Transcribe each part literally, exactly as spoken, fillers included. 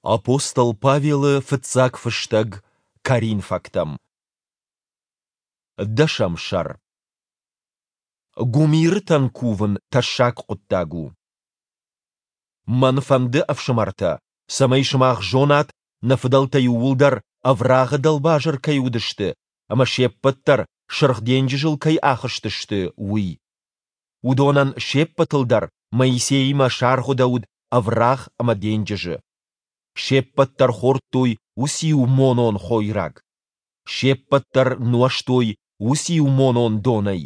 Апостол Павелы фыццаг фыстӕг Коринфӕгтӕм. Дӕсӕм сӕр. Гуымирытӕн кувын тӕссаг хъуыддаг у. Мӕн фӕнды, ӕфсымӕртӕ, цӕмӕй сымах зонат, нӕ фыдӕлтӕ иууылдӕр ӕврагъы дӕлбазыр кӕй уыдысты ӕмӕ се ппӕт дӕр Сырх денджызыл кӕй ахызтысты, уый. Уыдонӕн се ппӕтыл дӕр Моисеимӕ саргъуыдӕуыд ӕврагъ ӕмӕ денджызы. Се ппӕт дӕр хордтой уыциу монон хойраг. Се ппӕт дӕр нуӕзтой уыциу монон донӕй,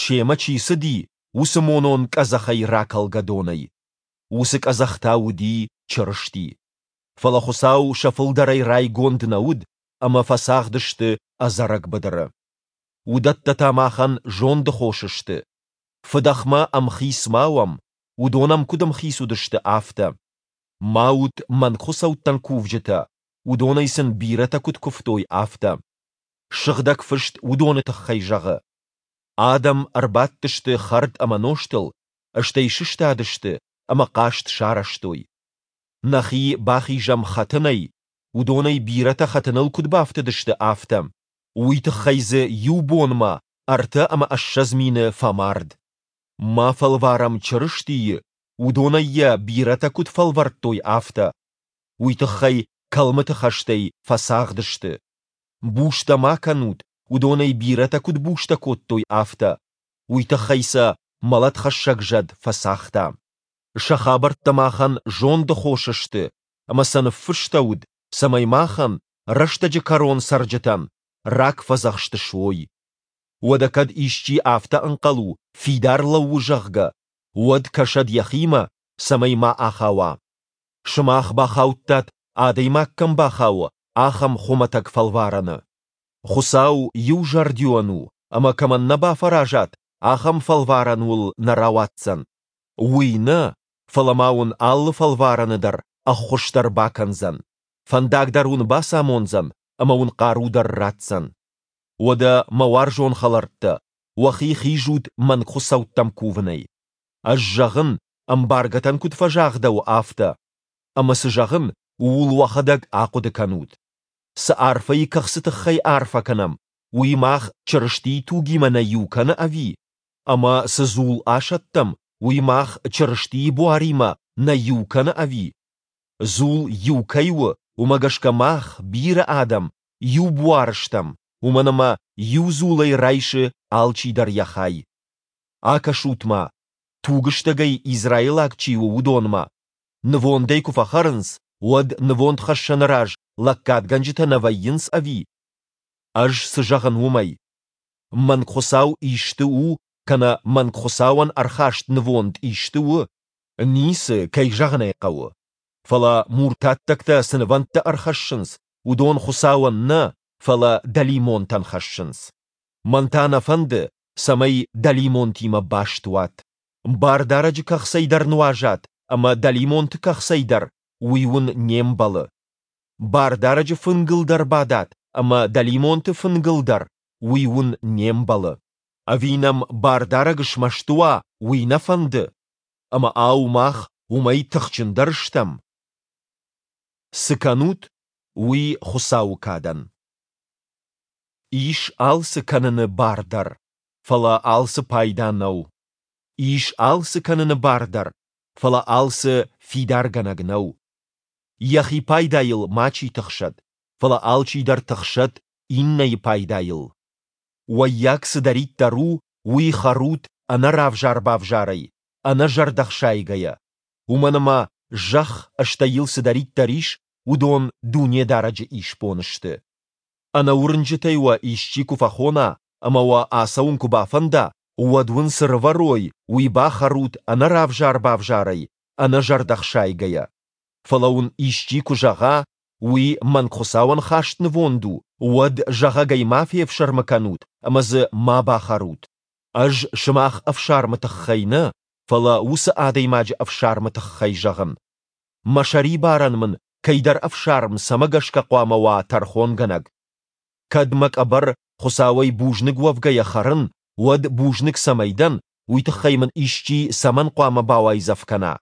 семӕ чи цыди, уыцы монон къӕдзӕхӕй ракӕлгӕ донӕй. Уыцы къӕдзӕх та уыди Чырысти. Фӕлӕ Хуыцау сӕ фылдӕрӕй райгонд нӕ уыд, ӕмӕ фӕцагъды сты ӕдзӕрӕг быдыры. Уыдӕттӕ та махӕн зонды хос сты. Фыдӕхмӕ ӕмхиц ма уӕм, уыдон ӕм куыд ӕмхиц уыдысты, афтӕ. Ма ут мӕнгхуыцӕуттӕн кувджытӕ, уыдонӕй сын бирӕтӕ куыд куывтой, афтӕ. Сыгъдӕг Фыст уыдоны тыххӕй зӕгъы: Адӕм ӕрбадтысты хӕрд ӕмӕ нозтыл, стӕй сыстадысты ӕмӕ хъазт сарӕзтой. Нӕхи бахизӕм хӕтынӕй, уыдонӕй бирӕтӕ хӕтыныл куыд бафтыдысты, афтӕ. Уый тыххӕй дзы иу бонмӕ ӕртӕ ӕмӕ ссӕдз мины фӕмард. Ма фӕлварӕм Чырыстийы, уыдонӕй йӕ бирӕтӕ куыд фӕлвӕрдтой, афтӕ. Уый тыххӕй кӕлмыты хӕстӕй фӕцагъды сты. Бустӕ ма кӕнут, уыдонӕй бирӕтӕ куыд бустӕ кодтой, афтӕ. Уый тыххӕй сӕ мӕлӕтхӕссӕг зӕд фӕцагъта. Сӕ хабӕрттӕ махӕн зонды хос сты, ӕмӕ сӕ ныффыстӕуыд, цӕмӕй махӕн, рӕстӕджы кӕрон цӕрджытӕн, рагфӕдзӕхст суой. Уӕдӕ кӕд исчи афтӕ ӕнхъӕл у, фидар лӕууы, зӕгъгӕ, уӕд кӕсӕд йӕхимӕ, цӕмӕй ма ахауа. Сымах бахаудтат, адӕймаг кӕм бахауы, ахӕм хуымӕтӕг фӕлварӕны. Хуыцау иузӕрдион у, ӕмӕ кӕмӕн нӕ бафӕразат, ахӕм фӕлварӕн уыл нӕ рауадздзӕн. Уый нӕ, фӕлӕ ма уын алы фӕлварӕны дӕр ӕххуыс дӕр бакӕндзӕн, фӕндаг дӕр уын бацамондзӕн ӕмӕ уын хъару дӕр ратдзӕн. Уӕдӕ, мӕ уарзон хӕлӕрттӕ, уӕхи хизут мӕнгхуыцӕуттӕм кувынӕй. Ӕз зӕгъын, ӕмбаргӕтӕн куыд фӕзагъдӕуы, афтӕ. Ӕмӕ цы зӕгъын, ууыл уӕхӕдӕг ахъуыды кӕнут. Цы арфӕйы кӕхцы тыххӕй арфӕ кӕнӕм, уый мах Чырыстийы тугимӕ нӕ иу кӕны ӕви? Ӕмӕ цы дзул асӕттӕм, уый мах Чырыстийы буаримӕ нӕ иу кӕны ӕви? Дзул иу кӕй у, уымӕ гӕсгӕ мах, бирӕ адӕм, иу буар стӕм, уымӕн ӕмӕ иу дзулӕй райсы алчидӕр йӕ хай. Акӕсут-ма, тугыстӕгӕй израилаг чи у, уыдонмӕ. Нывондӕй куы фӕхӕрынц, уӕд нывондхӕссӕны раз лӕггадгӕнджытӕ нӕ вӕййынц ӕви? Ӕз цы зӕгъын уымӕй? Мӕнгхуыцау исты у кӕнӕ мӕнгхуыцауӕн ӕрхаст нывонд исты у? Ницы, кӕй зӕгъын ӕй хъӕуы. Фӕлӕ муртаттӕгтӕ цы нывӕндтӕ ӕрхӕссынц, уыдон Хуыцауӕн нӕ, фӕлӕ дӕлимонтӕн хӕссынц. Мӕн та нӕ фӕнды, цӕмӕй дӕлимонтимӕ баст уат. Бардарӕджы кӕхцӕй дӕр нуазат ӕмӕ дӕлимонты кӕхцӕй дӕр, уый уын не мбӕлы. Бардарӕджы фынгыл дӕр бадат ӕмӕ дӕлимонты фынгыл дӕр, уый уын не мбӕлы. Ӕви нӕм Бардарӕг смӕсты уа, уый нӕ фӕнды? Ӕмӕ ау мах уымӕй тыхджындӕр стӕм? Цы кӕнут, уый Хуыцауы кадӕн. Ис алцы кӕныны бар дӕр, фӕлӕ алцы пайда нӕу. Ис алцы кӕныны бар дӕр, фӕлӕ алцы фидаргӕнӕг нӕу. Йӕхи пайдайыл мачи тыхсӕд, фӕлӕ алчидӕр тыхсӕд иннӕйы пайдайыл. Уӕййаг цыдӕриддӕр у, уый хӕрут ӕнӕ равзар-бавзарӕй, ӕнӕ зӕрдӕхсайгӕйӕ, уымӕн ӕмӕ зӕхх, стӕй йыл цыдӕриддӕр ис, уыдон Дунедарӕджы исбон сты. Ӕнӕуырнджытӕй уӕ исчи куы фӕхона ӕмӕ уӕ ацӕуын куы бафӕнда, уӕд уын цы рывӕрой, уый бахӕрут ӕнӕ равзар-бавзарӕй, ӕнӕ зӕрдӕхсайгӕйӕ. Фӕлӕ уын исчи куы зӕгъа, уый мӕнгхуыцауӕн хаст нывонд у, уӕд зӕгъӕгӕй ма фефсӕрмы кӕнут ӕмӕ дзы ма бахӕрут. Ӕз сымах ӕфсармы тыххӕй нӕ, фӕлӕ уыцы адӕймаджы ӕфсармы тыххӕй зӕгъын. Мӕ сӕрибарӕн мын кӕйдӕр ӕфсарм цӕмӕ гӕсгӕ хъуамӕ уа тӕрхонгӕнӕг? Кӕд мӕ къӕбӕр Хуыцауӕй бузныг уӕвгӕйӕ хӕрын, уӕд бузныг цӕмӕй дӕн, уый тыххӕй мын исчи цӕмӕн хъуамӕ бауайдзӕф кӕна?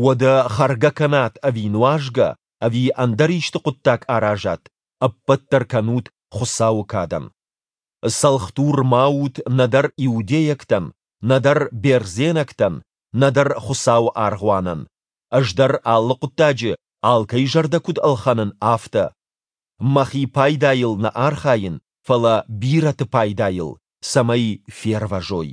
Уӕдӕ хӕргӕ кӕнат ӕви нуазгӕ, ӕви ӕндӕр исты хъуыддаг аразат, ӕппӕт дӕр кӕнут Хуыцауы кадӕн. Цӕлхдур ма ут нӕдӕр иудейӕгтӕн, нӕдӕр бердзенӕгтӕн, нӕдӕр Хуыцауы аргъуанӕн. Ӕз дӕр алы хъуыддаджы алкӕй зӕрдӕ куыд ӕлхӕнын, афтӕ. Мӕхи пайдайыл нӕ архайын, фӕлӕ бирӕты пайдайыл, цӕмӕй фервӕзой.